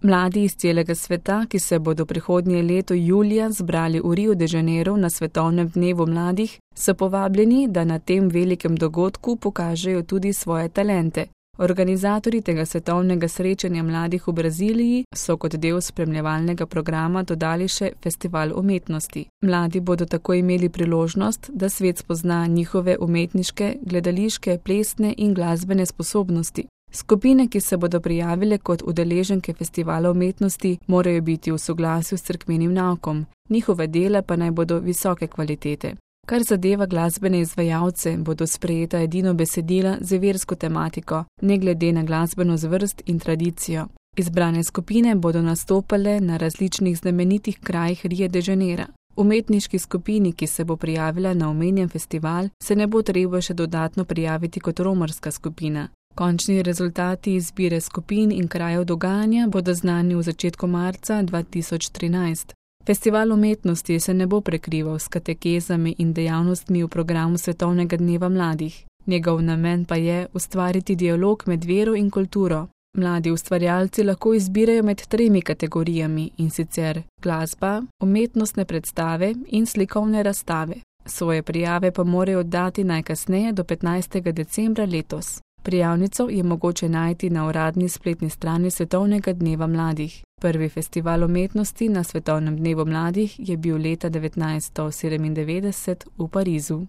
Mladi iz celega sveta, ki se bodo prihodnje leto julija zbrali v Rio de Janeiro na Svetovnem dnevu mladih, so povabljeni, da na tem velikem dogodku pokažejo tudi svoje talente. Organizatorji tega svetovnega srečanja mladih v Braziliji so kot del spremljevalnega programa dodali še festival umetnosti. Mladi bodo tako imeli priložnost, da svet spozna njihove umetniške, gledališke, plesne in glasbene sposobnosti. Skupine, ki se bodo prijavile kot udeleženke festivala umetnosti, morajo biti v soglasju s cerkvenim naukom, njihove dela pa naj bodo visoke kvalitete. Kar zadeva glasbene izvajalce, bodo sprejeta edino besedila z versko tematiko, ne glede na glasbeno zvrst in tradicijo. Izbrane skupine bodo nastopale na različnih znamenitih krajih Rio de Janeiro. Umetniški skupini, ki se bo prijavila na omenjen festival, se ne bo treba še dodatno prijaviti kot romarska skupina. Končni rezultati izbire skupin in krajev dogajanja bodo znani v začetku marca 2013. Festival umetnosti se ne bo prekrival s katekezami in dejavnostmi v programu Svetovnega dneva mladih. Njegov namen pa je ustvariti dialog med vero in kulturo. Mladi ustvarjalci lahko izbirajo med 3 kategorijami, in sicer glasba, umetnostne predstave in slikovne razstave. Svoje prijave pa morajo oddati najkasneje do 15. decembra letos. Prijavnico je mogoče najti na uradni spletni strani Svetovnega dneva mladih. Prvi festival umetnosti na Svetovnem dnevu mladih je bil leta 1997 v Parizu.